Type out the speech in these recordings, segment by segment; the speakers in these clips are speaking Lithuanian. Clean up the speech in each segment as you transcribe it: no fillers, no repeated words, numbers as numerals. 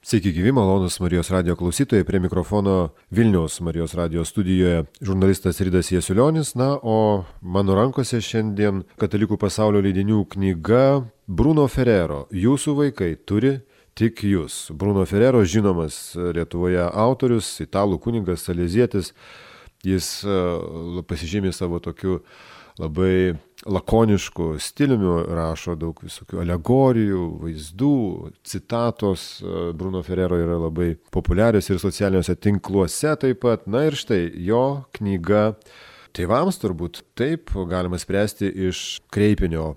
Sveiki gyvi, malonus Marijos radijo klausytojai, prie mikrofono Vilniaus Marijos radijo studijoje žurnalistas Ridas Jasiulionis, o mano rankose šiandien Katalikų pasaulio leidinių knyga Bruno Ferrero "Jūsų vaikai turi tik jūs". Bruno Ferrero žinomas Lietuvoje autorius, italų kunigas, salezietis, jis pasižymė savo tokiu labai lakonišku stiliumi, rašo daug visokių alegorijų, vaizdų, citatos. Bruno Ferrero yra labai populiarios ir socialiniuose tinkluose taip pat. Na ir štai jo knyga tėvams, turbūt taip galima spręsti iš kreipinio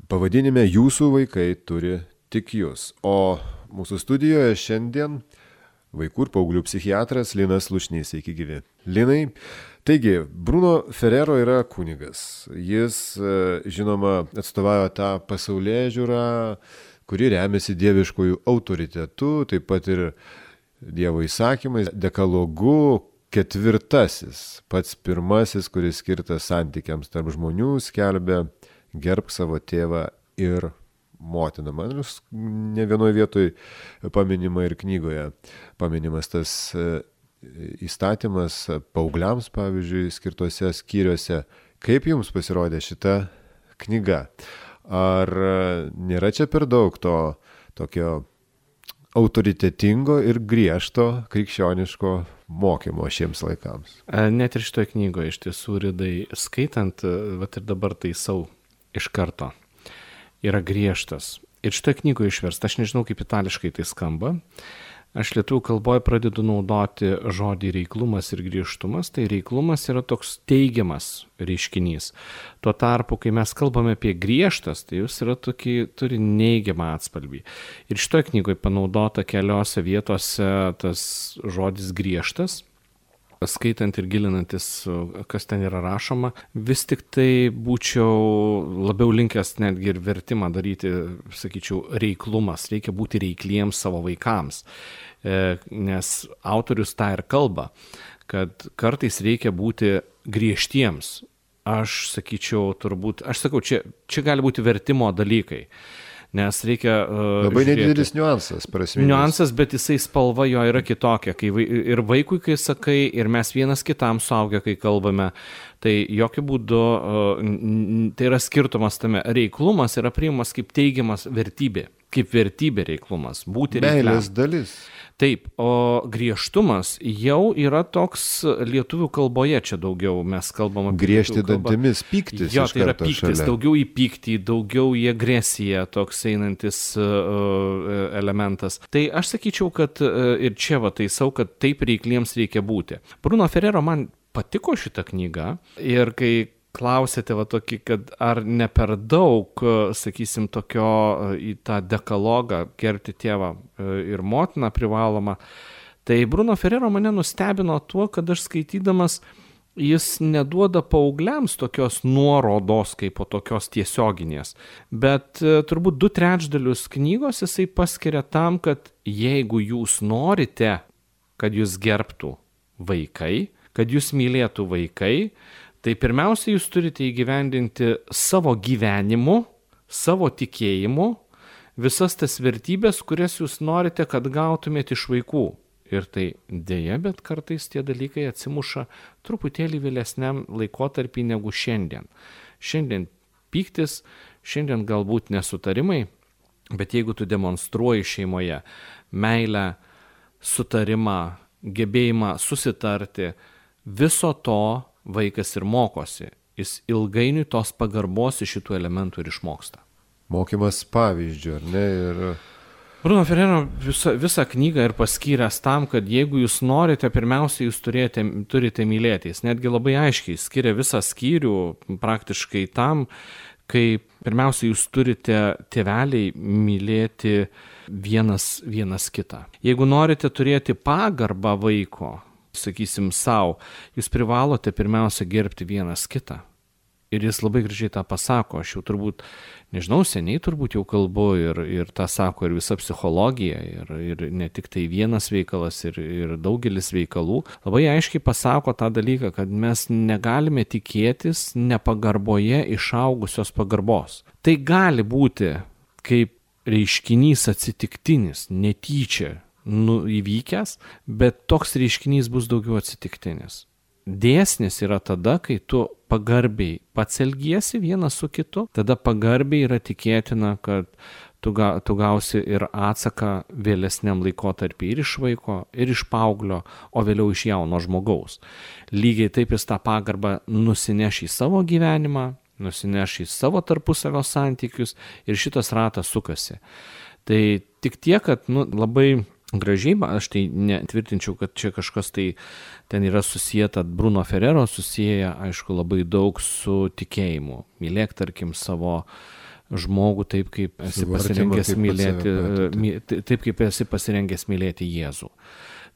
pavadinime "Jūsų vaikai turi tik jūs". O mūsų studijoje šiandien vaikų ir paauglių psichiatras Linas Slušnys. Sveiki gyvi. Linai, taigi, Bruno Ferrero yra kunigas. Jis, žinoma, atstovauja tą pasaulėžiūrą, kuri remiasi dieviškojų autoritetu, taip pat ir Dievo įsakymais, dekalogu. Ketvirtasis, pats pirmasis, kuris skirtas santykiams tarp žmonių, skelbia: gerbk savo tėvą ir motiną. Man ne vienoje vietoje paminima ir knygoje paminimas tas įstatymas paaugliams, pavyzdžiui, skirtose skyriuose. Kaip jums pasirodė šita knyga? Ar nėra čia per daug to tokio autoritetingo ir griežto krikščioniško mokymo šiems laikams? Net ir šitoje knygoje iš tiesų, Ridai, skaitant, vat ir dabar taisau iš karto, yra griežtas. Ir šitoje knygoje išversta, aš nežinau, kaip itališkai tai skamba. Aš lietuvių kalboje pradedu naudoti žodį reiklumas ir griežtumas. Tai reiklumas yra toks teigiamas reiškinys. Tuo tarpu, kai mes kalbame apie griežtas, tai jis yra turi neigiamą atspalvį. Ir šitoje knygoje panaudota keliose vietose tas žodis griežtas. Skaitant ir gilinantis, kas ten yra rašoma, vis tik tai būčiau labiau linkęs netgi ir vertimą daryti, sakyčiau, reiklumas. Reikia būti reikliems savo vaikams, nes autorius tą ir kalba, kad kartais reikia būti griežtiems. Aš sakyčiau, čia gali būti vertimo dalykai. Nes reikia labai nedidelis niuansas, prasminis. Niuansas, bet jisai spalva jo yra kitokia. Ir vaikui, kai sakai, ir mes vienas kitam suaugę, kai kalbame, tai jokių būdų, tai yra skirtumas tame. Reiklumas yra priimamas kaip teigiamas vertybė. Kaip vertybė reiklumas. Būti reikliam. Meilės dalis. Taip, o griežtumas jau yra toks lietuvių kalboje, čia daugiau mes kalbam apie griežti dantimis, pyktis. Jo, tai yra pyktis, šalia. Daugiau į pyktį, daugiau į agresiją, toks einantis elementas. Tai aš sakyčiau, kad ir čia taisau, kad taip reikliems reikia būti. Bruno Ferrero man patiko šita knyga ir kai klausėte tokį, kad ar ne per daug, sakysim, tokio į tą dekalogą gerbti tėvą ir motiną privaloma, tai Bruno Ferrero mane nustebino tuo, kad aš skaitydamas, jis neduoda paaugliams tokios nuorodos kaip po tokios tiesioginės, bet turbūt 2/3 knygos jisai paskiria tam, kad jeigu jūs norite, kad jūs gerbtų vaikai, kad jūs mylėtų vaikai, tai pirmiausia, jūs turite įgyvendinti savo gyvenimu, savo tikėjimu, visas tas vertybės, kurias jūs norite, kad gautumėte iš vaikų. Ir tai dėja, bet kartais tie dalykai atsimuša truputėlį vėlesniam laikotarpį negu šiandien. Šiandien pyktis, šiandien galbūt nesutarimai, bet jeigu tu demonstruoji šeimoje meilę, sutarimą, gebėjimą susitarti, viso to vaikas ir mokosi. Jis ilgainiui tos pagarbos iš šitų elementų ir išmoksta. Mokymas pavyzdžių, ar ne? Ir Bruno Ferrero visą knygą ir paskyręs tam, kad jeigu jūs norite, pirmiausia, jūs turite mylėti. Jis netgi labai aiškiai skiria visą skyrių praktiškai tam, kai pirmiausia, jūs turite tėveliai mylėti vienas kitą. Jeigu norite turėti pagarbą vaiko, sakysim, savo, jūs privalote pirmiausia gerbti vienas kitą. Ir jis labai gražiai tą pasako. Aš jau turbūt, nežinau, seniai turbūt jau kalbu ir tą sako ir visa psichologija, ir ne tik tai vienas veikalas, ir daugelis veikalų. Labai aiškiai pasako tą dalyką, kad mes negalime tikėtis nepagarboje išaugusios pagarbos. Tai gali būti kaip reiškinys atsitiktinis, netyčia įvykęs, bet toks reiškinys bus daugiau atsitiktinis. Dėsnis yra tada, kai tu pagarbiai pats elgiesi vienas su kitu, tada pagarbiai yra tikėtina, kad tu gausi ir atsaką vėlesniam laikotarpį ir iš vaiko, ir iš paauglio, o vėliau iš jauno žmogaus. Lygiai taip jis tą pagarbą nusineš į savo gyvenimą, nusineš į savo tarpusavio santykius ir šitas ratas sukasi. Tai tik tiek, kad labai gražiai, aš tai netvirtinčiau, kad čia kažkas tai ten yra susijęta, Bruno Ferrero susijęja, aišku, labai daug su tikėjimu. Mylėk, tarkim, savo žmogų taip, kaip esi pasirengęs mylėti, taip, kaip esi pasirengęs mylėti Jėzų.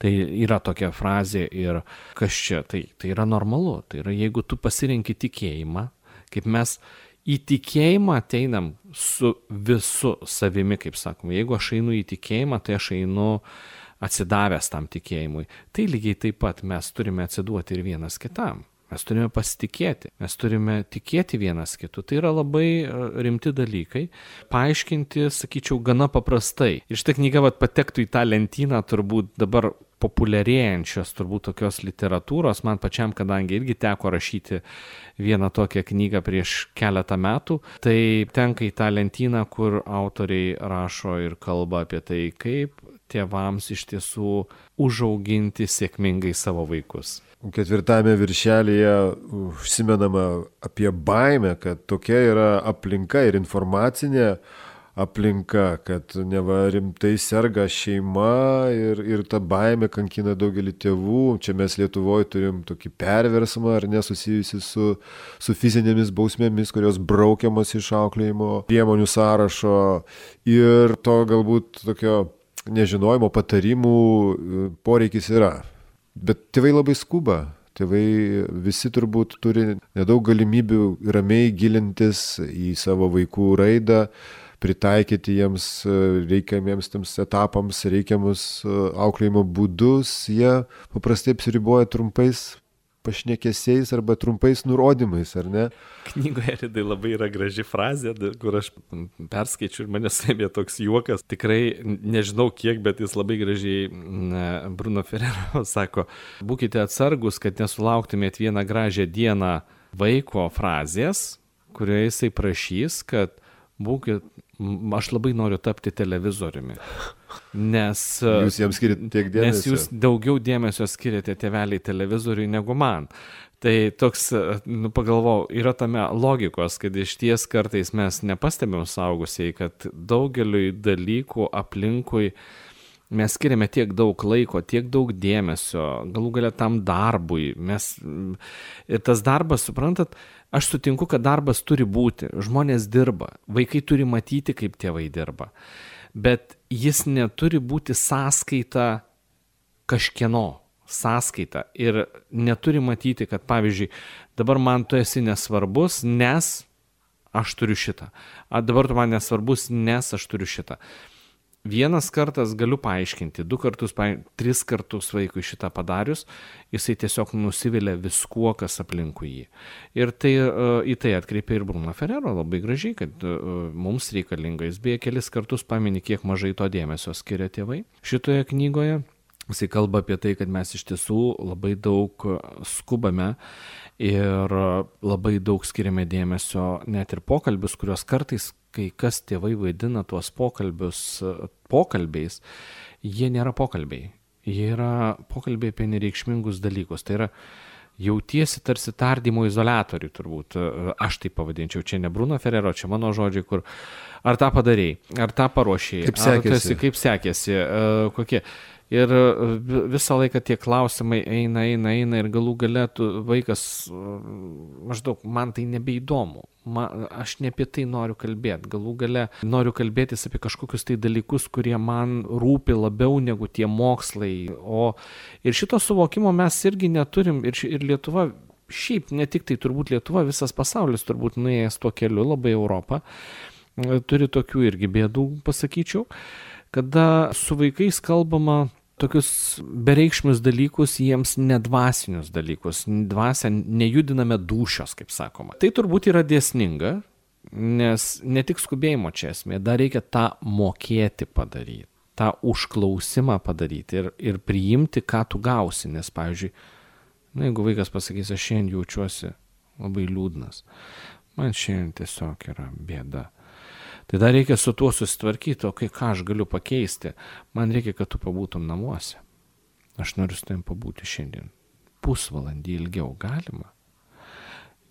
Tai yra tokia frazė ir kas čia, tai yra normalu. Tai yra, jeigu tu pasirenki tikėjimą, kaip mes į tikėjimą ateinam su visu savimi, kaip sakoma. Jeigu aš einu į tikėjimą, tai aš einu atsidavęs tam tikėjimui. Tai lygiai taip pat mes turime atsiduoti ir vienas kitam. Mes turime pasitikėti, mes turime tikėti vienas kitu. Tai yra labai rimti dalykai, paaiškinti, sakyčiau, gana paprastai. Ir šitą knygą patektų į tą lentyną turbūt dabar populiarėjančios turbūt tokios literatūros, man pačiam, kadangi irgi teko rašyti vieną tokią knygą prieš keletą metų, tai tenka į tą lentyną, kur autoriai rašo ir kalba apie tai, kaip tėvams iš tiesų užauginti sėkmingai savo vaikus. 4 viršelyje užsimenama apie baimę, kad tokia yra aplinka ir informacinė aplinka, kad neva rimtai serga šeima ir ta baimė kankina daugelį tėvų. Čia mes Lietuvoje turim tokį perversmą, ar nesusijusi su fizinėmis bausmėmis, kurios braukiamas iš auklėjimo priemonių sąrašo ir to galbūt tokio nežinojimo patarimų poreikis yra. Bet tėvai labai skuba. Tėvai visi turbūt turi nedaug galimybių ramiai gilintis į savo vaikų raidą, pritaikyti jiems reikiamiems tams etapams reikiamus auklėjimo būdus. Jie paprastai apsiriboja trumpais pašnekesiais arba trumpais nurodymais, ar ne? Knygoje Ridai labai yra graži frazė, kur aš perskaičiu ir mane suėmė toks juokas. Tikrai nežinau kiek, bet jis labai gražiai Bruno Ferrero sako, būkite atsargus, kad nesulauktumėt vieną gražią dieną vaiko frazės, kurioje jisai prašys, kad aš labai noriu tapti televizoriumi. Nes jūs jiems skiriate tiek dėmesio. Nes jūs daugiau dėmesio skiriate tėveliai televizoriui negu man. Tai toks, pagalvojau, yra tame logikos, kad iš ties kartais mes nepastebėm saugusiai, kad daugeliui dalykų aplinkui mes skiriame tiek daug laiko, tiek daug dėmesio, galų galia tam darbui. Ir tas darbas, suprantat, aš sutinku, kad darbas turi būti, žmonės dirba, vaikai turi matyti, kaip tėvai dirba, bet jis neturi būti sąskaita kažkieno, sąskaita ir neturi matyti, kad pavyzdžiui, dabar man tu esi nesvarbus, nes aš turiu šitą, dabar tu man nesvarbus, nes aš turiu šitą. Vienas kartas galiu paaiškinti, 2 kartus, 3 kartus vaikui šitą padarius, jisai tiesiog nusivilia viskuo, kas aplinkui jį. Ir tai, į tai atkreipia ir Bruno Ferrero labai gražiai, kad mums reikalinga. Jis beje kelis kartus pamini, kiek mažai to dėmesio skiria tėvai. Šitoje knygoje jisai kalba apie tai, kad mes iš tiesų labai daug skubame ir labai daug skiriame dėmesio net ir pokalbius, kurios kartais kai kas tėvai vaidina tuos pokalbiais, jie nėra pokalbiai. Jie yra pokalbiai apie nereikšmingus dalykus. Tai yra jautiesi tarsi tardymo izoliatorių turbūt. Aš tai pavadinčiau. Čia ne Bruno Ferrero, čia mano žodžiai, kur ar tą padarei, ar tą paruošėjai, kaip sekėsi, kokie. Ir visą laiką tie klausimai eina ir galų gale vaikas maždaug, man tai nebeįdomu, aš ne apie tai noriu kalbėti, galų gale noriu kalbėtis apie kažkokius tai dalykus, kurie man rūpi labiau negu tie mokslai. Ir šito suvokimo mes irgi neturim ir Lietuva, šiaip ne tik tai turbūt Lietuva, visas pasaulis turbūt nuėjęs tuo keliu, labai Europą, turi tokių irgi bėdų, pasakyčiau. Kada su vaikais kalbama tokius bereikšmius dalykus, jiems nedvasinius dalykus, dvasią nejudiname dūšios, kaip sakoma. Tai turbūt yra dėsninga, Nes ne tik skubėjimo čia esmė, dar reikia tą mokėti padaryti, tą užklausimą padaryti ir priimti, ką tu gausi. Nes, pavyzdžiui, jeigu vaikas pasakys, aš šiandien jaučiuosi labai liūdnas, man šiandien tiesiog yra bėda, tai dar reikia su tuo susitvarkyti, o ką aš galiu pakeisti. Man reikia, kad tu pabūtum namuose. Aš noriu su tavim pabūti šiandien. Pusvalandį ilgiau galima.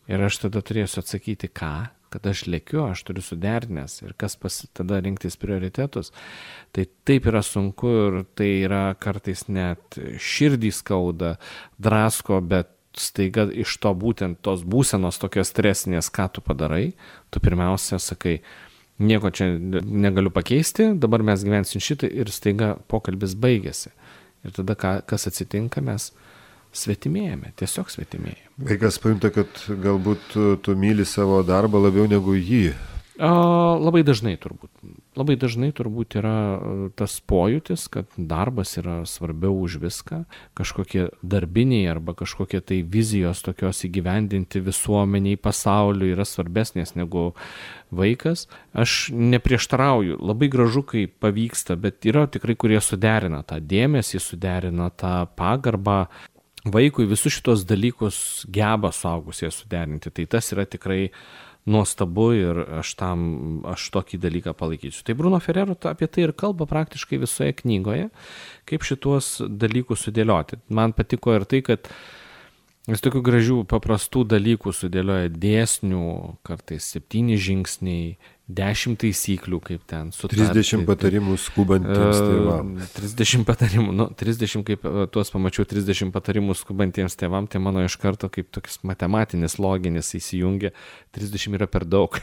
Ir aš tada turėsiu atsakyti, kad aš lėkiu, aš turiu suderinęs ir kas tada rinktis prioritetus. Tai taip yra sunku ir tai yra kartais net širdį skauda, drasko, bet staiga iš to būtent tos būsenos tokios stresinės, ką tu padarai, tu pirmiausia sakai, nieko čia negaliu pakeisti, dabar mes gyvensim šitą ir staiga pokalbis baigėsi. Ir tada kas atsitinka, mes svetimėjame, tiesiog svetimėjame. Vaikas pajunta, kad galbūt tu myli savo darbą labiau negu jį. Labai dažnai turbūt yra tas pojūtis, kad darbas yra svarbiau už viską, kažkokie darbiniai arba kažkokie tai vizijos tokios įgyvendinti visuomeniai, pasauliui yra svarbesnės negu vaikas. Aš neprieštarauju, labai gražu, kai pavyksta, bet yra tikrai, kurie suderina tą dėmesį, suderina tą pagarbą. Vaikui visus šitos dalykus geba suaugusieji suderinti, tai tas yra tikrai nuostabu ir aš tokį dalyką palaikysiu. Tai Bruno Ferrero apie tai ir kalba praktiškai visoje knygoje, kaip šitos dalykus sudėlioti. Man patiko ir tai, kad jis tokių gražių paprastų dalykų sudėlioja dėsnių, kartais 7 žingsniai, 10 taisyklių, kaip ten sutarti. 30 patarimų skubantiems tėvams. 30 patarimų, 30, kaip tuos pamačiau, 30 patarimų skubantiems tėvams, tai mano iš karto kaip toks matematinis, loginis įsijungia, 30 yra per daug.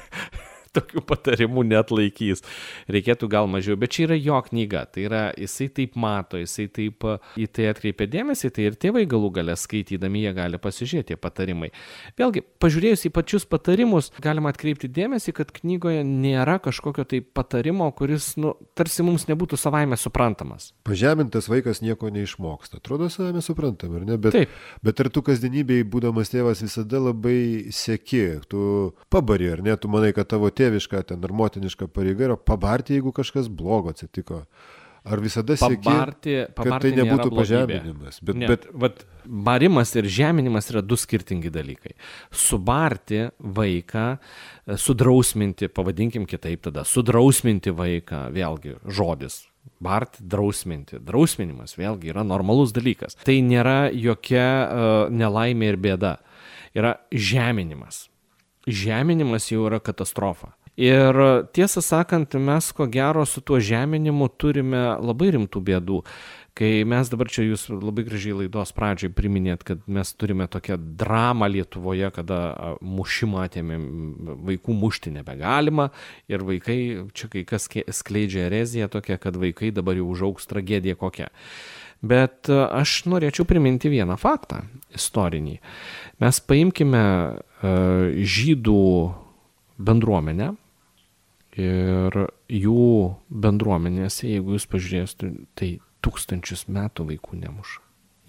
Tokių patarimų net laikys. Reikėtų gal mažiau, bet čia yra jo knyga. Tai yra, jisai taip mato, jisai taip į tai atkreipia dėmesį, tai ir tėvai galų gale skaitydami jie gali pasižiūrėti patarimai. Vėlgi, pažiūrėjus į pačius patarimus, galima atkreipti dėmesį, kad knygoje nėra kažkokio tai patarimo, kuris, tarsi mums nebūtų savaime suprantamas. Pažemintas vaikas nieko neišmoksta. Atrodo savaime suprantama, ar ne? Bet ar tu kasdienybėj, būdamas tėvas, visada labai seki, tu pabari, ar ne? Tu manai, kad tavo tėviška ten ar motiniška pareiga yra pabarti, jeigu kažkas blogo atsitiko. Ar visada seki, kad tai nebūtų pažeminimas? Bet barimas ir žeminimas yra 2 skirtingi dalykai. Subarti vaiką, sudrausminti, pavadinkim kitaip tada, sudrausminti vaiką, vėlgi žodis. Barti, drausminti. Drausminimas vėlgi yra normalus dalykas. Tai nėra jokia nelaimė ir bėda. Yra žeminimas. Žeminimas jau yra katastrofa. Ir tiesą sakant, mes ko gero su tuo žeminimu turime labai rimtų bėdų. Kai mes dabar čia jūs labai gražiai laidos pradžiai priminėt, kad mes turime tokią dramą Lietuvoje, kada mušimą atėmėm, vaikų mušti nebegalima ir vaikai, čia kai kas skleidžia ereziją tokia, kad vaikai dabar jau užaugs tragediją kokią. Bet aš norėčiau priminti vieną faktą istorinį. Mes paimkime žydų bendruomenę ir jų bendruomenėse, jeigu jūs pažiūrėsite, tai 1000 metų vaikų nemuša.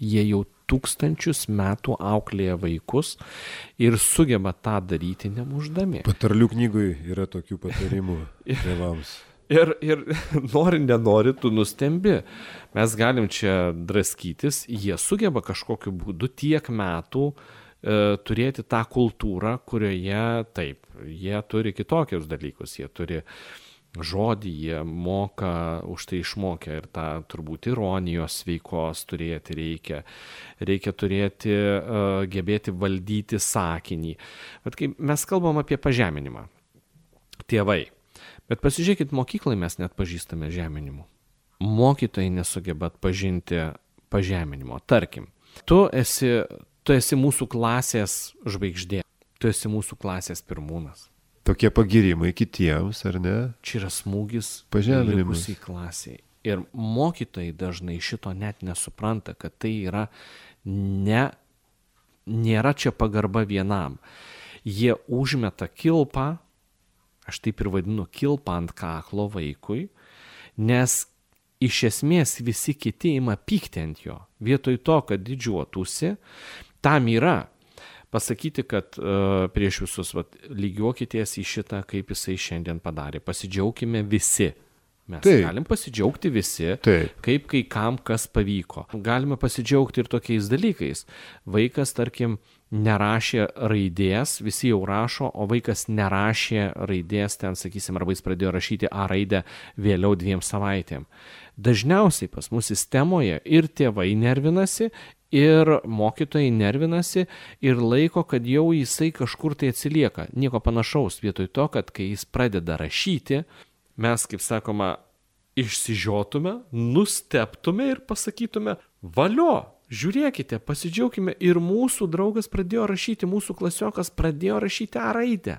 Jie jau 1000 metų auklėja vaikus ir sugeba tą daryti nemušdami. Patarlių knygoje yra tokių patarimų tėvams. Ir nenori, tu nustembi. Mes galim čia draskytis, jie sugeba kažkokiu būdu tiek metų turėti tą kultūrą, kurioje taip, jie turi kitokius dalykus, jie turi žodį, jie moka, už tai išmokę ir tą turbūt ironijos sveikos turėti reikia. Reikia turėti, gebėti valdyti sakinį. Bet kai mes kalbam apie pažeminimą, tėvai, bet pasižiūrėkit, mokyklai mes net pažįstame žeminimu. Mokytojai nesugeba atpažinti pažeminimo. Tarkim, tu esi mūsų klasės žvaigždė, tu esi mūsų klasės pirmūnas. Tokie pagirimai kitiems, ar ne? Čia yra smūgis likusiai klasiai. Ir mokytojai dažnai šito net nesupranta, kad tai yra nėra čia pagarba vienam. Jie užmeta kilpą, aš taip ir vadinu, kilpą ant kaklo vaikui, nes iš esmės visi kiti ima pykti ant jo. Vietoj to, kad didžiuotųsi, tam yra. pasakyti, kad prieš visus, lygiuokitės į šitą, kaip jisai šiandien padarė. Pasidžiaugkime visi. Mes galim pasidžiaugti visi, kaip kai kam kas pavyko. Galime pasidžiaugti ir tokiais dalykais. Vaikas, tarkim, nerašė raidės, visi jau rašo, o vaikas nerašė raidės, ten, sakysim, arba jis pradėjo rašyti A raidę vėliau 2 savaitėm. Dažniausiai pas mus sistemoje ir tėvai nervinasi, ir mokytojai nervinasi ir laiko, kad jau jisai kažkur tai atsilieka. Nieko panašaus, vietoj to, kad kai jis pradeda rašyti, mes, kaip sakoma, išsižiotume, nustebtume ir pasakytume, valio, žiūrėkite, pasidžiaugkime, ir mūsų draugas pradėjo rašyti, mūsų klasiokas pradėjo rašyti A raidę.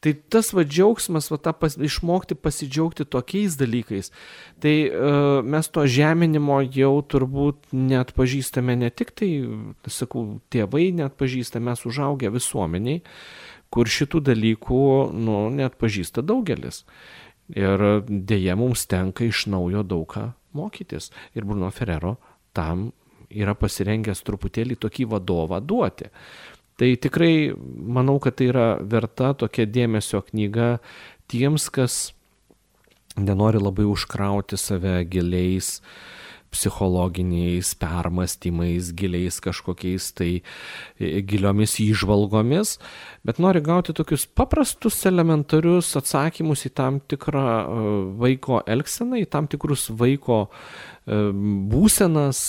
Tai tas džiaugsmas, išmokti pasidžiaugti tokiais dalykais, tai mes to žeminimo jau turbūt net pažįstame ne tik tai, sakau, tėvai net pažįsta, mes užaugę visuomeniai, kur šitų dalykų net pažįsta daugelis. Ir dėja mums tenka iš naujo daug ką mokytis. Ir Bruno Ferrero tam yra pasirengęs truputėlį tokį vadovą duoti. Tai tikrai manau, kad tai yra verta tokia dėmesio knyga tiems, kas nenori labai užkrauti save giliais psichologiniais permastymais, giliais kažkokiais tai giliomis įžvalgomis, bet nori gauti tokius paprastus, elementarius atsakymus į tam tikrą vaiko elgseną, į tam tikrus vaiko būsenas,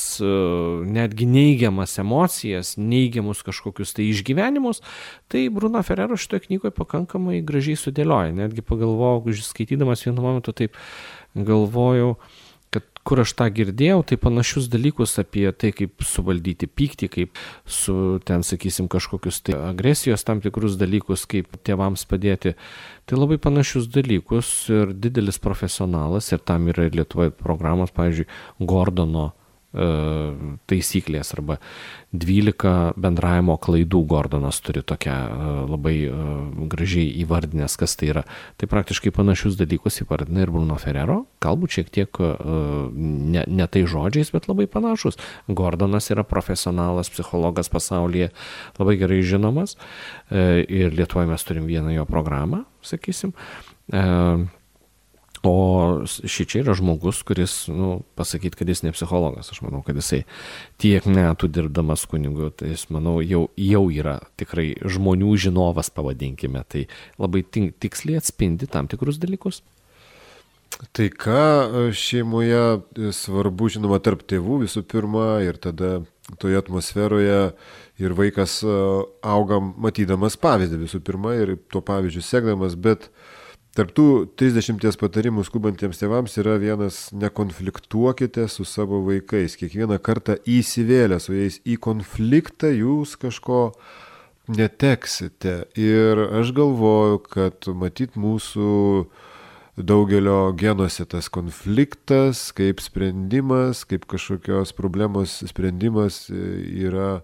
netgi neigiamas emocijas, neigiamus kažkokius tai išgyvenimus, tai Bruno Ferrero šitoje knygoje pakankamai gražiai sudėlioja. Netgi pagalvojau, skaitydamas vienu momentu taip galvojau, kad kur aš tą girdėjau, tai panašius dalykus apie tai, kaip suvaldyti pyktį, kaip su ten, sakysim, kažkokius tai agresijos tam tikrus dalykus, kaip tėvams padėti. Tai labai panašius dalykus ir didelis profesionalas, ir tam yra ir Lietuvoje programos, pavyzdžiui, Gordono taisyklės arba 12 bendravimo klaidų. Gordonas turi tokią labai gražiai įvardinęs, kas tai yra. Tai praktiškai panašius dalykus įvardina ir Bruno Ferrero, galbūt šiek tiek ne tai žodžiais, bet labai panašus. Gordonas yra profesionalas, psichologas pasaulyje, labai gerai žinomas, ir Lietuvoje mes turim vieną jo programą, sakysim. O šičia yra žmogus, kuris, pasakyti, kad jis ne psichologas. Aš manau, kad jisai tiek metų dirbdamas kunigu, tai jis, manau, jau yra tikrai žmonių žinovas, pavadinkime. Tai labai tiksliai atspindi tam tikrus dalykus. Tai ką šeimoje svarbu, žinoma, tarp tėvų visų pirma, ir tada toje atmosferoje ir vaikas auga matydamas pavyzdį visų pirma ir tuo pavyzdžiu sekdamas, bet tarp tų 30 patarimų skubantiems tėvams yra vienas: nekonfliktuokite su savo vaikais. Kiekvieną kartą įsivėlę su jais į konfliktą jūs kažko neteksite. Ir aš galvoju, kad matyt mūsų daugelio genuose tas konfliktas kaip sprendimas, kaip kažkokios problemos sprendimas yra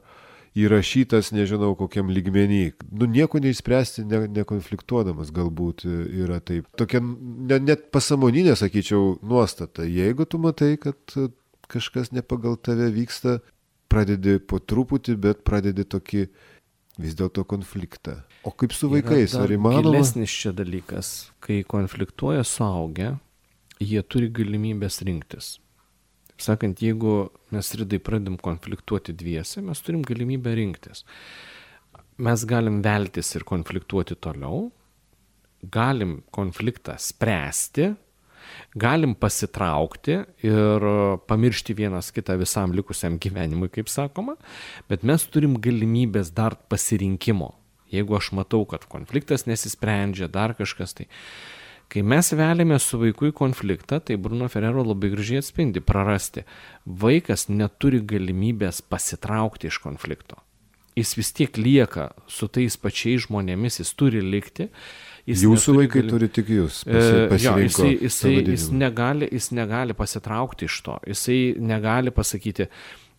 įrašytas, nežinau kokiam lygmenį. Nieko neišspręsti nekonfliktuodamas galbūt yra taip. Tokia net pasąmoninė, sakyčiau, nuostata. Jeigu tu matai, kad kažkas ne pagal tave vyksta, pradedi po truputį, bet pradedi tokį vis dėlto konfliktą. O kaip su vaikais? Ar įmanoma? Gilesnis čia dalykas. Kai konfliktuoja suaugę, jie turi galimybės rinktis. Sakant, jeigu mes Ridai pradėm konfliktuoti dviese, mes turim galimybę rinktis. Mes galim veltis ir konfliktuoti toliau, galim konfliktą spręsti, galim pasitraukti ir pamiršti vienas kitą visam likusiam gyvenimui, kaip sakoma, bet mes turim galimybės dar pasirinkimo. Jeigu aš matau, kad konfliktas nesisprendžia, dar kažkas tai. Kai mes veliame su vaiku į konfliktą, tai Bruno Ferrero labai gražiai atspindi: prarasti. Vaikas neturi galimybės pasitraukti iš konflikto. Jis vis tiek lieka su tais pačiais žmonėmis, jis turi likti. Jūsų vaikai turi tik jūs. Jis negali pasitraukti iš to. Jisai negali pasakyti: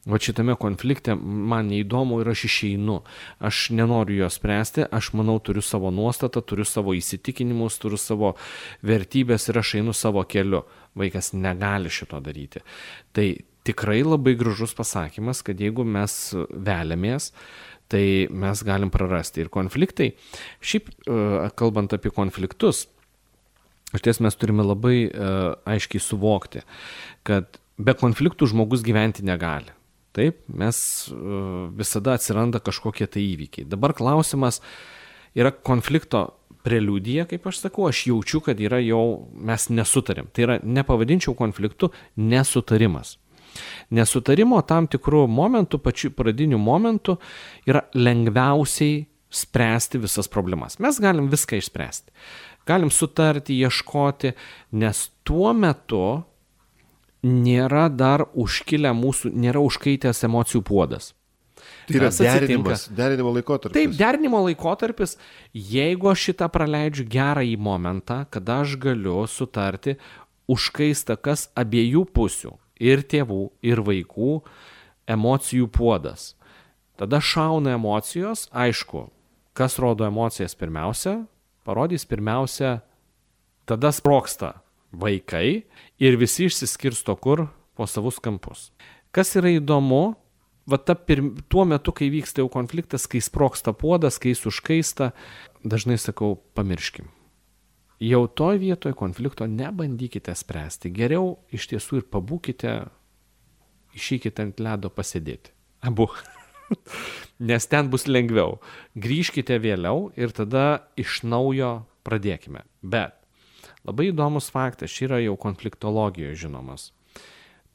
va šitame konflikte man neįdomu ir aš išeinu. Aš nenoriu jo spręsti, aš manau turiu savo nuostatą, turiu savo įsitikinimus, turiu savo vertybės ir aš einu savo keliu. Vaikas negali šito daryti. Tai tikrai labai gražus pasakymas, kad jeigu mes veliamės, tai mes galim prarasti. Ir konfliktai, šiaip kalbant apie konfliktus, iš ties mes turime labai aiškiai suvokti, kad be konfliktų žmogus gyventi negali. Taip, mes visada atsiranda kažkokie tai įvykiai. Dabar klausimas yra konflikto preliudija, kaip aš sakau, aš jaučiu, kad yra jau mes nesutarim. Tai yra, nepavadinčiau konfliktu, nesutarimas. Nesutarimo tam tikrų momentų, pačių pradinių momentų yra lengviausiai spręsti visas problemas. Mes galim viską išspręsti. Galim sutarti, ieškoti, nes tuo metu nėra dar užkilę mūsų, nėra užkaitęs emocijų puodas. Tai yra derinimo laikotarpis. Taip, derinimo laikotarpis, jeigu aš šitą praleidžiu gerąjį momentą, kada aš galiu sutarti, užkaista kas abiejų pusių, ir tėvų, ir vaikų, emocijų puodas. Tada šauna emocijos, aišku, kas rodo emocijas pirmiausia, parodys pirmiausia, tada sprogsta vaikai ir visi išsiskirsto kur po savus kampus. Kas yra įdomu, tuo metu, kai vyksta jau konfliktas, kai sprogsta puodas, kai jis užkaista, dažnai sakau, pamirškim. Jau toj vietoj konflikto nebandykite spręsti. Geriau iš tiesų ir pabūkite, išeikite ant ledo pasėdėti. Abu. Nes ten bus lengviau. Grįžkite vėliau ir tada iš naujo pradėkime. Bet labai įdomus faktas, čia yra jau konfliktologijoje žinomas.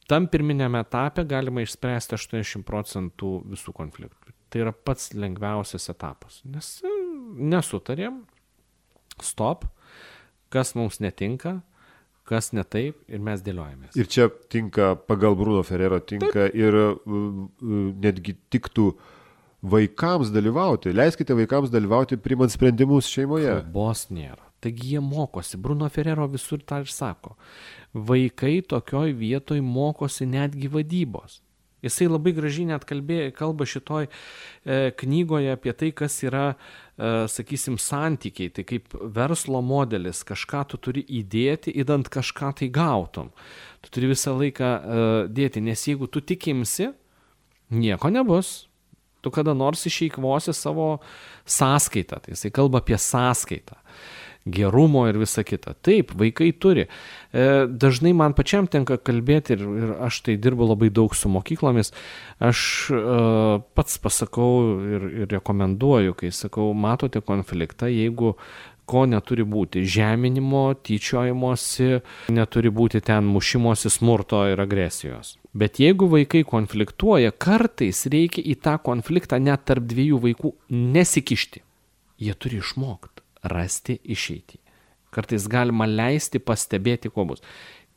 Tam pirminėme etape galima išspręsti 80% visų konfliktų. Tai yra pats lengviausias etapas. Nes nesutarėm, stop, kas mums netinka, kas ne taip ir mes dėliojamės. Ir čia tinka, pagal Bruno Ferrero tinka taip. Ir netgi tiktų vaikams dalyvauti. Leiskite vaikams dalyvauti priimant sprendimus šeimoje. Kalbos nėra. Taigi jie mokosi. Bruno Ferrero visur tą ir sako. Vaikai tokioj vietoj mokosi netgi vadybos. Jisai labai gražiai net kalba šitoj knygoje apie tai, kas yra, sakysim, santykiai. Tai kaip verslo modelis, kažką tu turi įdėti, įdant kažką tai gautum. Tu turi visą laiką dėti, nes jeigu tu tikimsi, nieko nebus. Tu kada nors išeikvosi savo sąskaitą. Tai jisai kalba apie sąskaitą. Gerumo ir visa kita. Taip, vaikai turi. Dažnai man pačiam tenka kalbėti ir aš tai dirbu labai daug su mokyklomis. Aš pats pasakau ir rekomenduoju, kai sakau, matote konfliktą, jeigu ko neturi būti, žeminimo, tyčiojimosi, neturi būti ten mušimosi, smurto ir agresijos. Bet jeigu vaikai konfliktuoja, kartais reikia į tą konfliktą net tarp dviejų vaikų nesikišti. Jie turi išmokti rasti išeitį. Kartais galima leisti pastebėti, ko bus.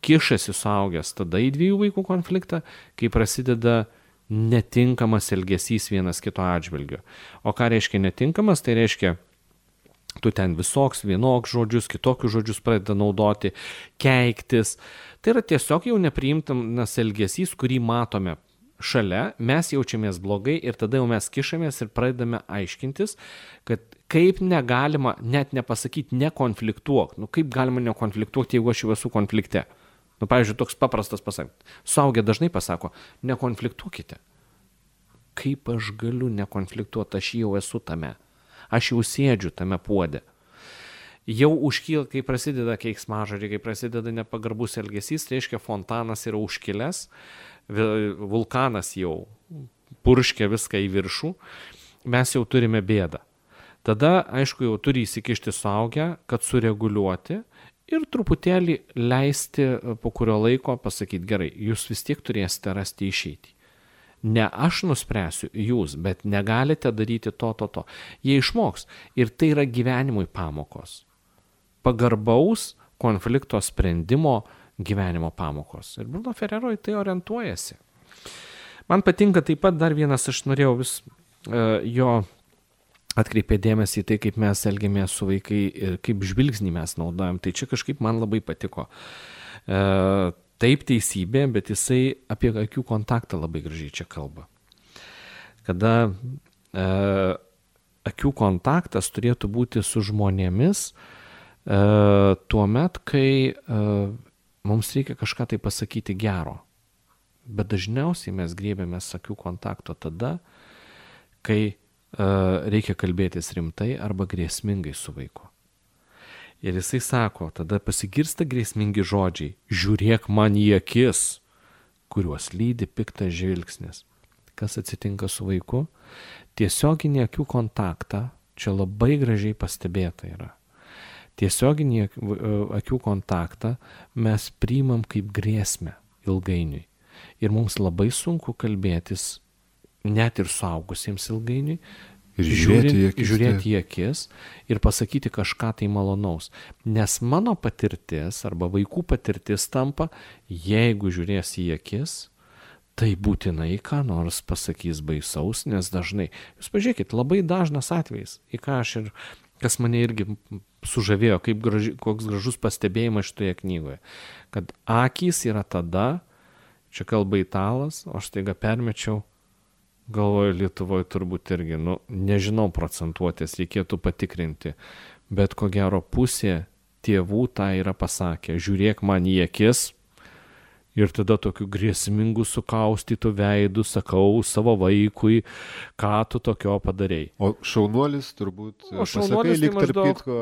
Kišasi suaugęs tada į dviejų vaikų konfliktą, kai prasideda netinkamas elgesys vienas kito atžvilgiu. O ką reiškia netinkamas? Tai reiškia, tu ten visoks, vienoks žodžius, kitokius žodžius pradeda naudoti, keiktis. Tai yra tiesiog jau nepriimtamas elgesys, kurį matome šalia, mes jaučiamės blogai ir tada jau mes kišamės ir pradedame aiškintis, kad kaip negalima net nepasakyti nekonfliktuok. Kaip galima nekonfliktuoti, jeigu aš jau esu konflikte? Pavyzdžiui, toks paprastas pasakymas. Suaugę dažnai pasako, nekonfliktuokite. Kaip aš galiu nekonfliktuoti, aš jau esu tame. Aš jau sėdžiu tame puode. Jau užkyla, kai prasideda keiksmažodžiai, kai prasideda nepagarbus elgesys, tai reiškia fontanas yra užkilęs, vulkanas jau purškia viską į viršų, mes jau turime bėdą. Tada, aišku, jau turi įsikišti suaugę, kad sureguliuoti ir truputėlį leisti po kurio laiko pasakyti, gerai, jūs vis tiek turėsite rasti išeitį. Ne aš nuspręsiu, jūs, bet negalite daryti to. Jie išmoks ir tai yra gyvenimui pamokos. Pagarbaus konflikto sprendimo gyvenimo pamokos. Ir Bruno Ferrero į tai orientuojasi. Man patinka taip pat dar vienas, aš norėjau vis jo atkreipė dėmesį į tai, kaip mes elgiamės su vaikai ir kaip žvilgsnį mes naudojam. Tai čia kažkaip man labai patiko. Taip teisybė, bet jisai apie akių kontaktą labai gražiai čia kalba. Kada akių kontaktas turėtų būti su žmonėmis tuo met, kai mums reikia kažką tai pasakyti gero. Bet dažniausiai mes griebiamės akių kontakto tada, kai reikia kalbėtis rimtai arba grėsmingai su vaiku. Ir jisai sako, tada pasigirsta grėsmingi žodžiai, žiūrėk man į akis, kuriuos lydi piktas žvilgsnis. Kas atsitinka su vaiku? Tiesioginį akių kontaktą, čia labai gražiai pastebėta yra. Tiesioginį akių kontaktą mes priimam kaip grėsmę ilgainiui. Ir mums labai sunku kalbėtis, net ir suaugusiems ilgainiui, ir žiūrėti į akis ir pasakyti kažką tai malonaus. Nes mano patirtis arba vaikų patirtis tampa, jeigu žiūrės į akis, tai būtinai ką nors pasakys baisaus, nes dažnai, jūs pažiūrėkit, labai dažnas atvejis, į ką aš ir, kas mane irgi sužavėjo, koks gražus pastebėjimas šitoje knygoje, kad akys yra tada, čia kalba italas, o aš taiga permečiau, galvoju Lietuvoje turbūt irgi, nežinau procentuotės, reikėtų patikrinti, bet ko gero pusė tėvų tą yra pasakę, žiūrėk man į akis, ir tada tokiu grėsmingu sukaustytų veidų sakau savo vaikui, ką tu tokio padarei. O šaunuolis turbūt pasakai, lyg tarp kitko.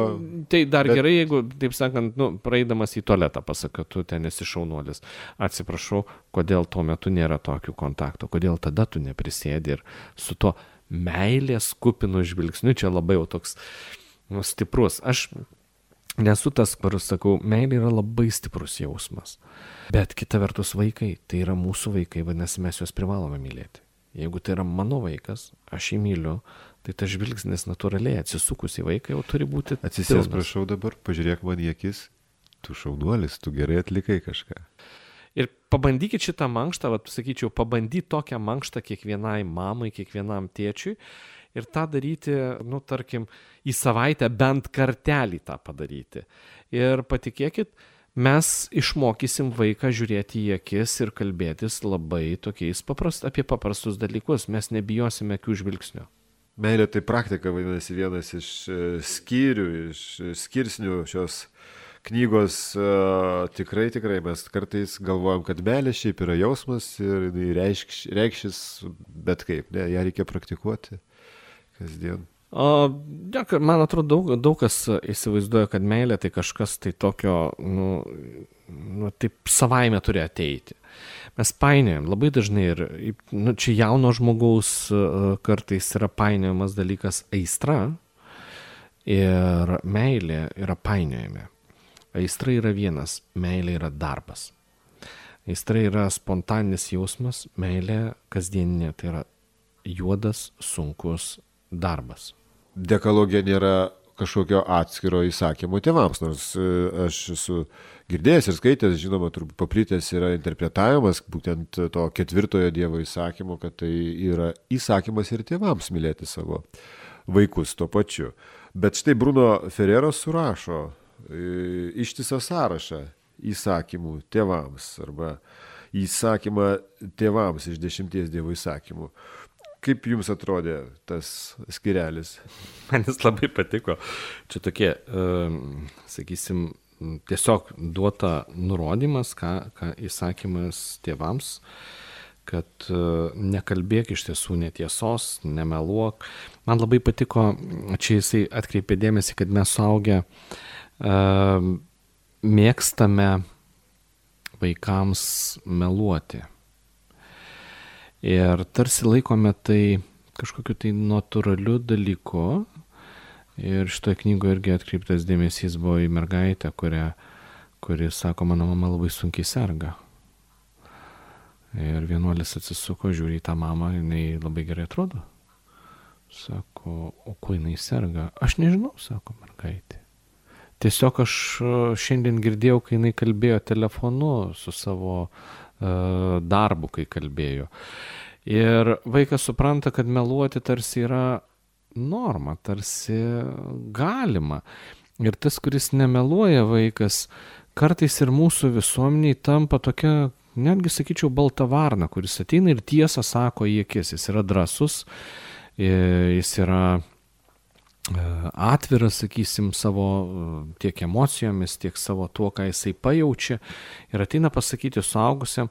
Tai dar bet... gerai, jeigu, taip sakant, praeidamas į tualetą pasakai, tu ten esi šaunuolis. Atsiprašau, kodėl tuo metu nėra tokių kontaktų, kodėl tada tu neprisėdi ir su to meilės kupinu žvilgsniu, čia labai jau toks stiprus. Aš nesu tas, kur sakau, meilė yra labai stiprus jausmas. Bet kita vertus vaikai, tai yra mūsų vaikai, vadinasi, mes juos privalome mylėti. Jeigu tai yra mano vaikas, aš jį myliu, tai tas žvilgsnis natūraliai atsisukus į vaiką jau turi būti atsisės, prašau dabar, pažiūrėk man į akis, tu šaunuolis, tu gerai atlikai kažką. Ir pabandykit šitą mankštą, sakyčiau, pabandyti tokią mankštą kiekvienai mamai, kiekvienam tėčiui ir tą daryti, tarkim, į savaitę bent kartelį tą padaryti. Ir patikėkit, mes išmokysim vaiką žiūrėti į akis ir kalbėtis labai tokiais apie paprastus dalykus. Mes nebijosime akių žvilgsnio. Meilė tai praktika, vadinasi, vienas iš skyrių, iš skirsnių šios knygos. Tikrai mes kartais galvojam, kad meilė šiaip yra jausmas ir reikšis bet kaip. Ne, ją reikia praktikuoti kasdien. Man atrodo, daug kas įsivaizduoja, kad meilė tai kažkas tai tokio, taip savaime turi ateiti. Mes painiojam labai dažnai ir čia jauno žmogaus kartais yra painiojamas dalykas aistra ir meilė yra painiojami. Aistra yra vienas, meilė yra darbas. Aistra yra spontaninis jausmas, meilė kasdieninė, tai yra juodas, sunkus darbas. Dekalogija nėra kažkokio atskiro įsakymo tėvams, nors aš esu girdėjęs ir skaitęs, žinoma, turbūt paplitęs yra interpretavimas būtent to 4 Dievo įsakymo, kad tai yra įsakymas ir tėvams mylėti savo vaikus tuo pačiu. Bet štai Bruno Ferreros surašo ištisą sąrašą įsakymų tėvams arba įsakymą tėvams iš 10 Dievo įsakymų. Kaip jums atrodė tas skirelis? Man jis labai patiko. Čia tokie, sakysim, tiesiog duota nurodymas, ką įsakymas tėvams, kad nekalbėk iš tiesų netiesos, nemeluok. Man labai patiko, čia jisai atkreipė dėmesį, kad mes suaugę mėgstame vaikams meluoti. Ir tarsi laikome tai kažkokiu tai natūraliu dalyku. Ir šitoje knygoje irgi atkreiptas dėmesys buvo į mergaitę, kuri sako, mano mama labai sunkiai serga. Ir vienuolis atsisuko, žiūri į tą mamą, jinai labai gerai atrodo. Sako, o kuo jinai serga? Aš nežinau, sako mergaitė. Tiesiog aš šiandien girdėjau, kai jinai kalbėjo telefonu su savo darbu, kai kalbėjo. Ir vaikas supranta, kad meluoti tarsi yra norma, tarsi galima. Ir tas, kuris nemeluoja vaikas, kartais ir mūsų visuomeniai tampa tokia, netgi sakyčiau, balta varna, kuris ateina ir tiesą sako į akis. Jis yra drąsus, jis yra atviras, sakysim, savo tiek emocijomis, tiek savo tuo, ką jisai pajaučia ir ateina pasakyti suaugusiam,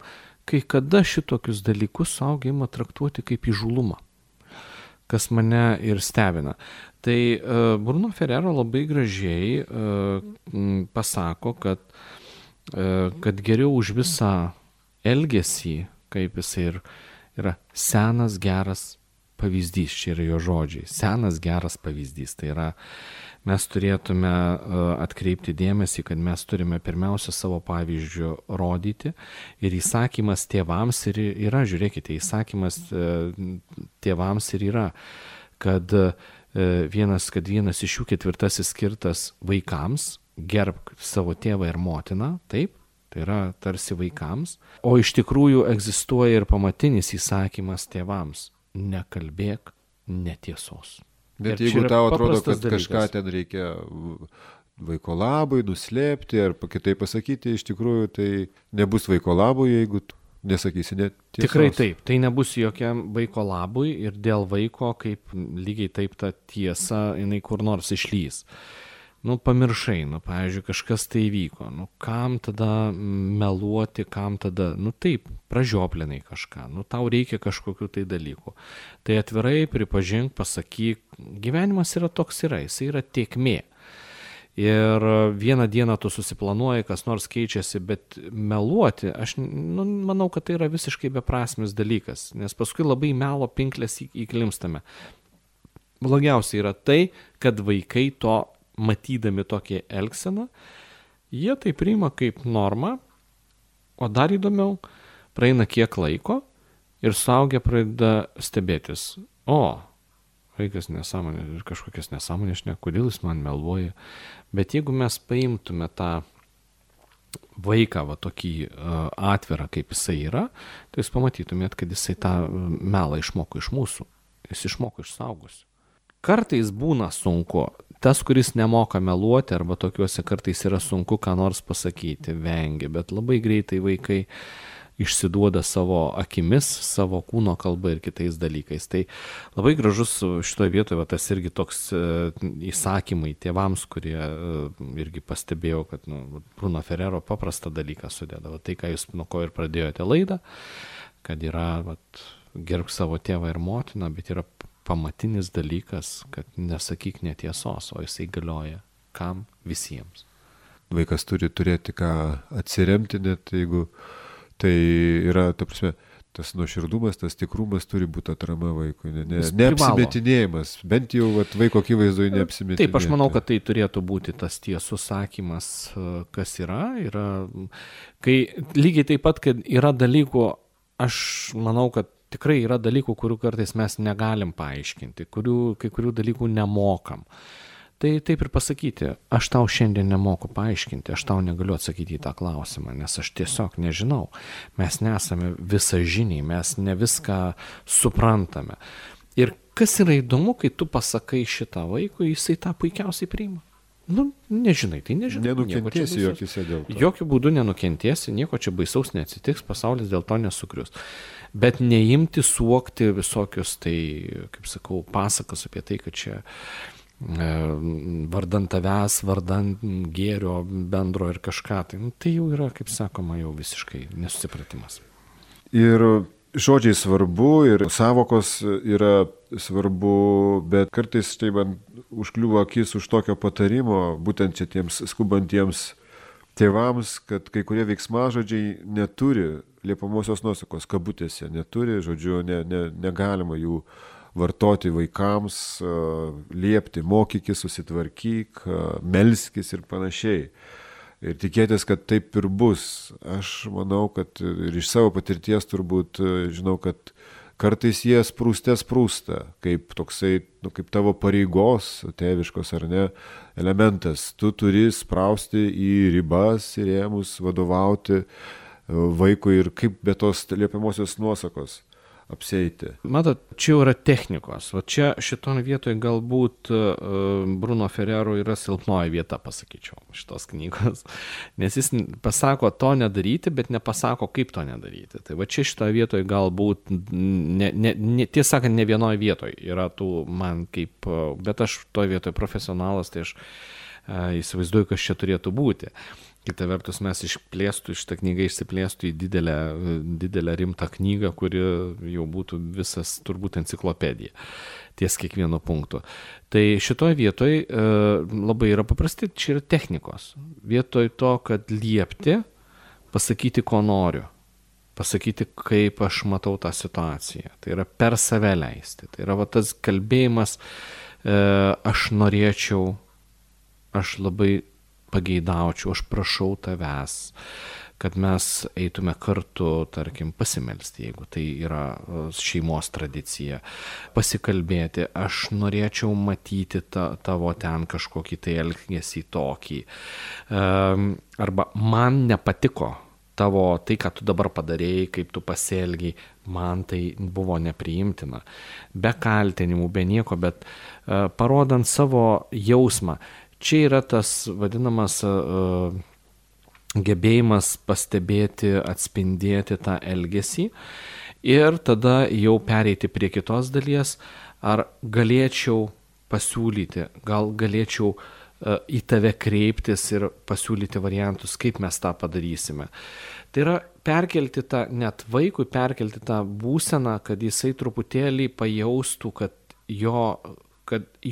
kai kada šitokius dalykus suaugiai ima traktuoti kaip įžūlumą. kas mane ir stebina. Tai Bruno Ferrero labai gražiai pasako, kad geriau už visą elgesį, kaip jisai ir yra senas geras pavyzdys, čia yra jo žodžiai, senas geras pavyzdys. Tai yra, mes turėtume atkreipti dėmesį, kad mes turime pirmiausia savo pavyzdžių rodyti ir įsakymas tėvams ir yra, žiūrėkite, įsakymas tėvams ir yra, kad vienas iš jų 4 skirtas vaikams, gerbk savo tėvą ir motiną, taip, tai yra tarsi vaikams, o iš tikrųjų egzistuoja ir pamatinis įsakymas tėvams, nekalbėk netiesos. Bet jeigu tau atrodo, kad kažką ten reikia vaiko labui nuslėpti ar kitaip pasakyti, iš tikrųjų tai nebus vaiko labui, jeigu nesakysi netiesos. Tikrai taip, tai nebus jokiam vaiko labui ir dėl vaiko, kaip lygiai taip ta tiesa, jinai kur nors išlys. Pamiršai, pavyzdžiui, kažkas tai įvyko, kam tada meluoti, kam tada, taip, pražioplinai kažką, tau reikia kažkokių tai dalykų. Tai atvirai pripažink, pasakyk, gyvenimas yra toks jis yra tėkmė. Ir vieną dieną tu susiplanuoji, kas nors keičiasi, bet meluoti, aš manau, kad tai yra visiškai beprasmis dalykas, nes paskui labai melo pinklės įklimstame. Blogiausia yra tai, kad vaikai to matydami tokią elgseną, jie tai priima kaip normą, o dar įdomiau, praeina kiek laiko ir suaugę pradeda stebėtis. Vaikas nesąmonė ir kažkokias nesąmonės, kodėl jis man meluoja. Bet jeigu mes paimtume tą vaiką tokį atvirą, kaip jisai yra, tai jūs pamatytumėt, kad jisai tą melą išmoko iš mūsų, jis išmoko iš suaugusių. Kartais būna sunku, tas, kuris nemoka meluoti, arba tokiuose kartais yra sunku ką nors pasakyti, vengia, bet labai greitai vaikai išsiduoda savo akimis, savo kūno kalba ir kitais dalykais. Tai labai gražus šitoje vietoje, tas irgi toks įsakymai tėvams, kurie irgi pastebėjau, kad Bruno Ferrero paprastą dalyką sudėdavo. Tai, ką jūs nuo ko ir pradėjote laidą, kad yra gerbk savo tėvą ir motiną, bet yra pamatinis dalykas, kad nesakyk netiesos, o jisai galioja kam? Visiems. Vaikas turi turėti ką atsiremti, net jeigu tai yra, ta prasme, tas nuoširdumas, tas tikrumas turi būti atrama vaikui, neapsimetinėjimas, bent jau vaiko akivaizdoje neapsimetinėjimas. Taip, aš manau, kad tai turėtų būti tas tiesus sakymas, kas yra, kai lygiai taip pat, kad yra dalykų, aš manau, kad tikrai yra dalykų, kurių kartais mes negalim paaiškinti, kai kurių dalykų nemokam. Tai taip ir pasakyti, aš tau šiandien nemoku paaiškinti, aš tau negaliu atsakyti į tą klausimą, nes aš tiesiog nežinau. Mes nesame visažiniai, mes ne viską suprantame. Ir kas yra įdomu, kai tu pasakai šitą vaikui, jisai tą puikiausiai priima. Nežinai, tai nežinai. Nenukentėsi jokise dėl to. Jokių būdų nenukentėsi, nieko čia baisaus neatsitiks, pasaulis dėl to nesugrius. Bet neimti suokti visokius, tai, kaip sakau, pasakas apie tai, kad čia vardan tavęs, vardan gėrio bendro ir kažką. Tai jau yra, kaip sakoma, jau visiškai nesusipratimas. Ir žodžiai svarbu, ir savokos yra svarbu, bet kartais tai man užkliuvo akis už tokio patarimo, būtent čia tiems skubantiems tėvams, kad kai kurie veiksmažodžiai neturi liepamosios nuosakos, kabutėse neturi, žodžiu, negalima jų vartoti vaikams, liepti, mokykis, susitvarkyk, melskis ir panašiai. Ir tikėtis, kad taip ir bus. Aš manau, kad ir iš savo patirties turbūt žinau, kad kartais jie sprūsta, kaip toksai, kaip tavo pareigos, tėviškos ar ne, elementas. Tu turi sprausti į ribas ir rėmus, vadovauti vaikui ir kaip be tos liepiamosios nuosakos apsieiti. Matot, čia yra technikos. O čia šitoje vietoje galbūt Bruno Ferrero yra silpnoji vieta, pasakyčiau, šitos knygos. Nes jis pasako to nedaryti, bet nepasako, kaip to nedaryti. Tai va čia šitoje vietoje galbūt, tiesą sakant, ne vienoje vietoje yra tų man kaip, bet aš toje vietoje profesionalas, tai aš įsivaizduoju, kas čia turėtų būti. Kita vertus, mes šitą knygą išsiplėstų į didelę rimtą knygą, kuri jau būtų visas turbūt enciklopedija ties kiekvieno punktu. Tai šitoje vietoje labai yra paprasti, čia yra technikos. Vietoj to, kad liepti, pasakyti, ko noriu, pasakyti, kaip aš matau tą situaciją. Tai yra per save leisti. Tai yra tas kalbėjimas, aš norėčiau, aš labai pageidaučiau, aš prašau tavęs, kad mes eitume kartu, tarkim, pasimelsti, jeigu tai yra šeimos tradicija, pasikalbėti, aš norėčiau matyti tavo ten kažkokį tai elgesį tokį, arba man nepatiko tavo tai, ką tu dabar padarėjai, kaip tu pasielgiai, man tai buvo nepriimtina, be kaltinimų, be nieko, bet parodant savo jausmą. Čia yra tas vadinamas gebėjimas pastebėti, atspindėti tą elgesį ir tada jau pereiti prie kitos dalies, ar galėčiau pasiūlyti, gal galėčiau į tave kreiptis ir pasiūlyti variantus, kaip mes tą padarysime. Tai yra perkelti tą, net vaikui perkelti tą būseną, kad jisai truputėlį pajaustų, kad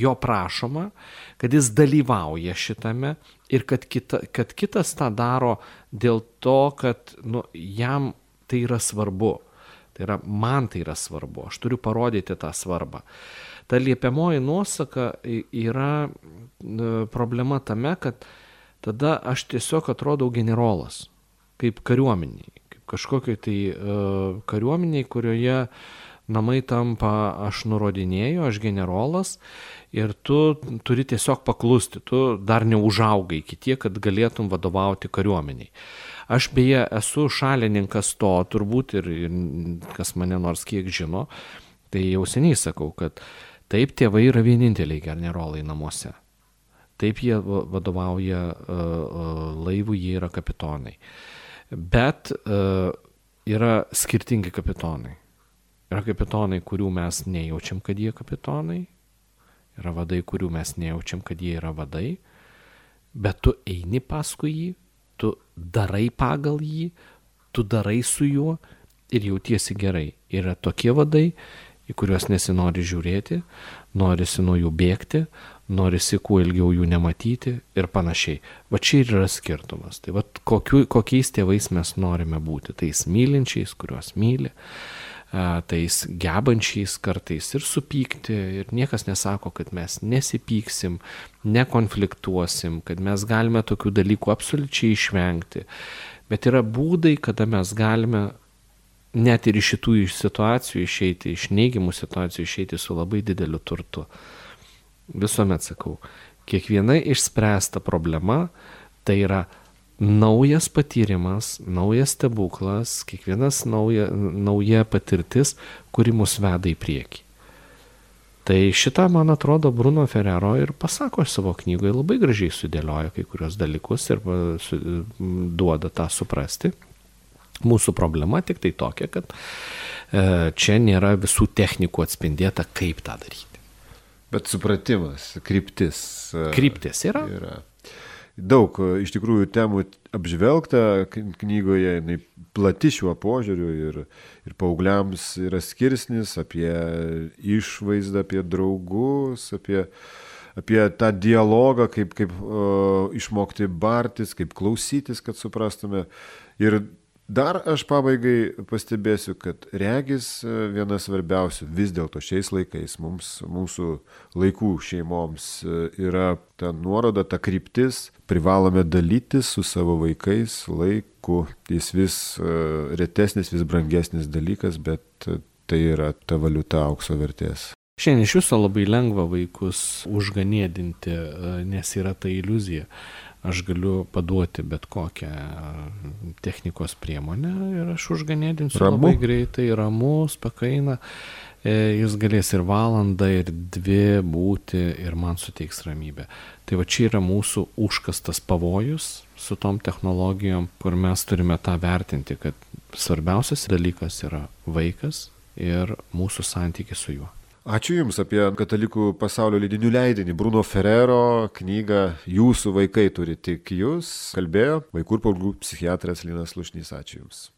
jo prašoma, kad jis dalyvauja šitame ir kad kitas tą daro dėl to, kad jam tai yra svarbu. Tai yra, man tai yra svarbu, aš turiu parodyti tą svarbą. Ta liepiamoji nuosaka yra problema tame, kad tada aš tiesiog atrodau generolas, kaip kariuomeniai, kaip kažkokiai tai kariuomeniai, kurioje namai tampa, aš nurodinėju, aš generolas ir tu turi tiesiog paklusti, tu dar neužaugai iki tiek, kad galėtum vadovauti kariuomeniai. Aš beje esu šalininkas to, turbūt ir kas mane nors kiek žino, tai jau seniai sakau, kad taip tėvai yra vieninteliai generolai namuose. Taip jie vadovauja laivų, jie yra kapitonai. Bet yra skirtingi kapitonai. Yra kapitonai, kurių mes nejaučiam, kad jie kapitonai. Yra vadai, kurių mes nejaučiam, kad jie yra vadai. Bet tu eini paskui jį, tu darai pagal jį, tu darai su juo ir jautiesi gerai. Yra tokie vadai, į kuriuos nesinori žiūrėti, norisi nuo jų bėgti, norisi kuo ilgiau jų nematyti ir panašiai. Va čia ir yra skirtumas. Tai va kokiais tėvais mes norime būti. Tais mylinčiais, kuriuos myli, tais gebančiais kartais ir supykti. Ir niekas nesako, kad mes nesipyksim, nekonfliktuosim, kad mes galime tokių dalykų absoliučiai išvengti. Bet yra būdai, kada mes galime net ir iš šitų situacijų išeiti, iš neigiamų situacijų išeiti su labai dideliu turtu. Visuomet sakau, kiekviena išspręsta problema tai yra naujas patyrimas, naujas stebuklas, kiekvienas nauja patirtis, kuri mus veda į priekį. Tai šitą, man atrodo, Bruno Ferrero ir pasako savo knygoje, labai gražiai sudėlioja kai kurios dalykus ir duoda tą suprasti. Mūsų problema tik tai tokia, kad čia nėra visų technikų atspindėta, kaip tą daryti. Bet supratimas, kryptis. Kryptis yra. Daug iš tikrųjų temų apžvelgta knygoje, jinai plati šiuo požiūriu ir paaugliams yra skirsnis apie išvaizdą, apie draugus, apie tą dialogą, kaip išmokti bartis, kaip klausytis, kad suprastume. Ir dar aš pabaigai pastebėsiu, kad regis viena svarbiausių vis dėlto šiais laikais mūsų laikų šeimoms yra ta nuoroda, ta kryptis, privalome dalytis su savo vaikais laiku. Jis vis retesnis, vis brangesnis dalykas, bet tai yra ta valiuta aukso vertės. Šiandien iš viso labai lengva vaikus užganėdinti, nes yra ta iliuzija. Aš galiu paduoti bet kokią technikos priemonę ir aš užganėdinsiu labai greitai, ramus, pakaina. Jis galės ir valandą, ir 2 būti ir man suteiks ramybę. Tai va čia yra mūsų užkastas pavojus su tom technologijom, kur mes turime tą vertinti, kad svarbiausias dalykas yra vaikas ir mūsų santykis su juo. Ačiū Jums apie katalikų pasaulio leidinių leidinį. Bruno Ferrero knygą Jūsų vaikai turi tik Jūs kalbėjo vaikų ir paauglių psichiatras Linas Slušnys. Ačiū Jums.